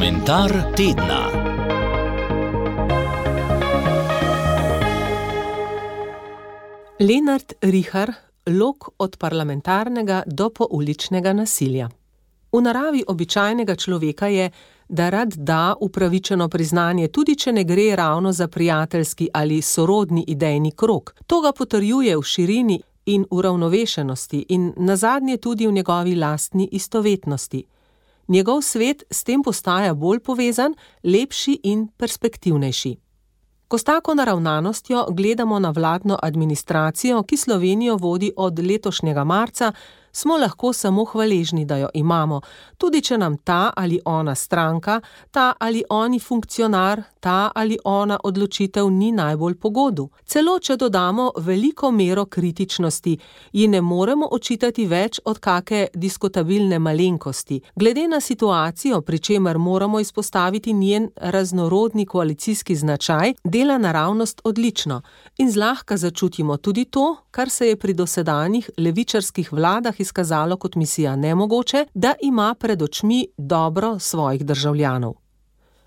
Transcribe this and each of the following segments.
Komentar tedna. Lenart Rihar, lok od parlamentarnega do pouličnega nasilja. V naravi običajnega človeka je, da rad da upravičeno priznanje, tudi če ne gre ravno za prijateljski ali sorodni idejni krog. To ga potrjuje v širini in uravnovešenosti in nazadnje tudi v njegovi lastni istovetnosti. Njegov svet s tem postaja bolj povezan, lepši in perspektivnejši. Ko s tako naravnanostjo gledamo na vladno administracijo, ki Slovenijo vodi od letošnjega marca, smo lahko samo hvaležni, da jo imamo, tudi če nam ta ali ona stranka, ta ali oni funkcionar, ta ali ona odločitev ni najbolj po godu. Celo če dodamo veliko mero kritičnosti, ji ne moremo očitati več od kake diskutabilne malenkosti. Glede na situacijo, pri čemer moramo izpostaviti njen raznorodni koalicijski značaj, dela naravnost odlično in zlahka začutimo tudi to, kar se je pri dosedanjih levičarskih vladah izkazalo kot misija nemogoče, da ima pred očmi dobro svojih državljanov.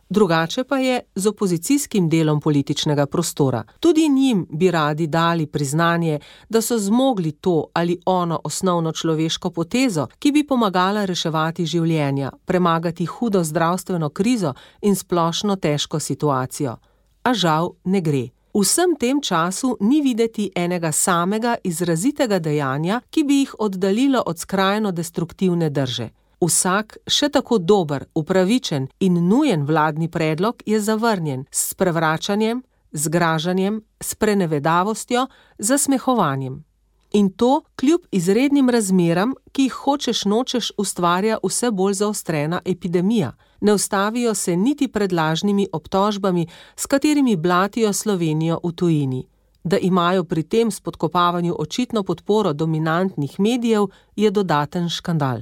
Drugače pa je z opozicijskim delom političnega prostora. Tudi njim bi radi dali priznanje, da so zmogli to ali ono osnovno človeško potezo, ki bi pomagala reševati življenja, premagati hudo zdravstveno krizo in splošno težko situacijo. A žal ne gre. V vsem tem času ni videti enega samega izrazitega dejanja, ki bi jih oddaljilo od skrajno destruktivne drže. Vsak, še tako dober, upravičen in nujen vladni predlog je zavrnjen s sprevračanjem, zgražanjem, sprenevedavostjo, zasmehovanjem. In to kljub izrednim razmeram, ki jih hočeš nočeš ustvarja vse bolj zaostrena epidemija. Ne ustavijo se niti pred lažnimi obtožbami, s katerimi blatijo Slovenijo v tujini. Da imajo pri tem spodkopavanju očitno podporo dominantnih medijev, je dodaten škandal.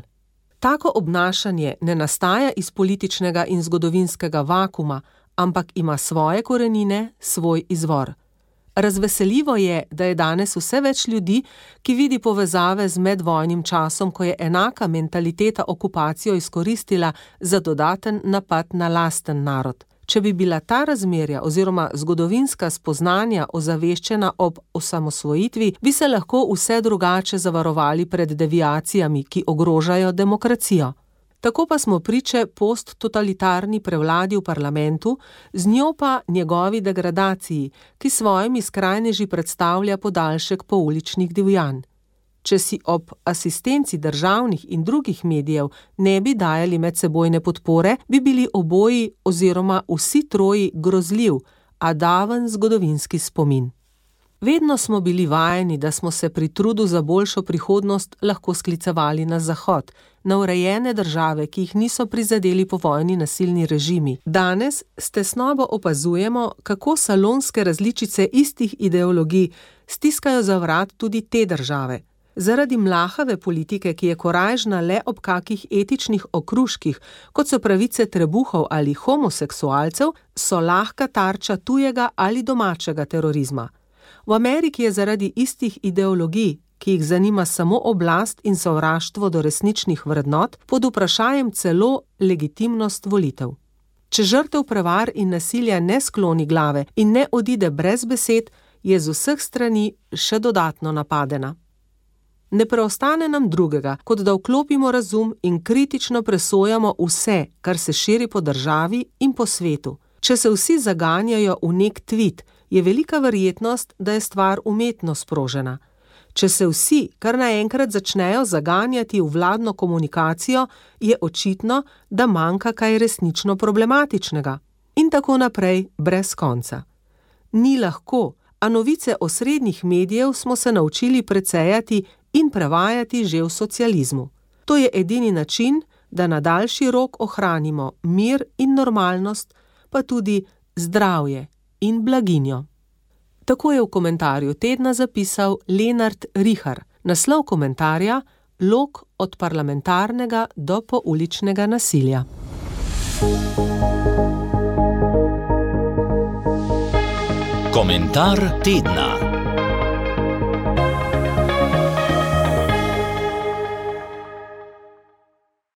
Tako obnašanje ne nastaja iz političnega in zgodovinskega vakuma, ampak ima svoje korenine, svoj izvor. Razveseljivo je, da je danes vse več ljudi, ki vidi povezave z medvojnim časom, ko je enaka mentaliteta okupacijo izkoristila za dodaten napad na lasten narod. Če bi bila ta razmerja oziroma zgodovinska spoznanja ozaveščena ob osamosvojitvi, bi se lahko vse drugače zavarovali pred deviacijami, ki ogrožajo demokracijo. Tako pa smo priče posttotalitarni prevladi v parlamentu, z njo pa njegovi degradaciji, ki svojimi skrajneži predstavlja podaljšek pouličnih divjanj. Če si ob asistenci državnih in drugih medijev ne bi dajali medsebojne podpore, bi bili oboji oziroma vsi troji grozljiv, a daven zgodovinski spomin. Vedno smo bili vajeni, da smo se pri trudu za boljšo prihodnost lahko sklicevali na Zahod, na urejene države, ki jih niso prizadeli povojni nasilni režimi. Danes s tesnobo opazujemo, kako salonske različice istih ideologij stiskajo za vrat tudi te države. Zaradi mlahave politike, ki je korajžna le ob kakih etičnih okruških, kot so pravice trebuhov ali homoseksualcev, so lahka tarča tujega ali domačega terorizma. V Ameriki je zaradi istih ideologij, ki jih zanima samo oblast in sovraštvo do resničnih vrednot, pod vprašajem celo legitimnost volitev. Če žrtev prevar in nasilja ne skloni glave in ne odide brez besed, je z vseh strani še dodatno napadena. Ne preostane nam drugega, kot da vklopimo razum in kritično presojamo vse, kar se širi po državi in po svetu. Če se vsi zaganjajo v nek tvit, je velika verjetnost, da je stvar umetno sprožena. Če se vsi kar naenkrat začnejo zaganjati v vladno komunikacijo, je očitno, da manjka kaj resnično problematičnega. In tako naprej, brez konca. Ni lahko, a novice osrednjih medijev smo se naučili precejati in prevajati že v socializmu. To je edini način, da na daljši rok ohranimo mir in normalnost, pa tudi zdravje in blaginjo. Tako je v komentarju tedna zapisal Lenart Rihar. Naslov komentarja: Lok od parlamentarnega do pouličnega nasilja. Komentar tedna.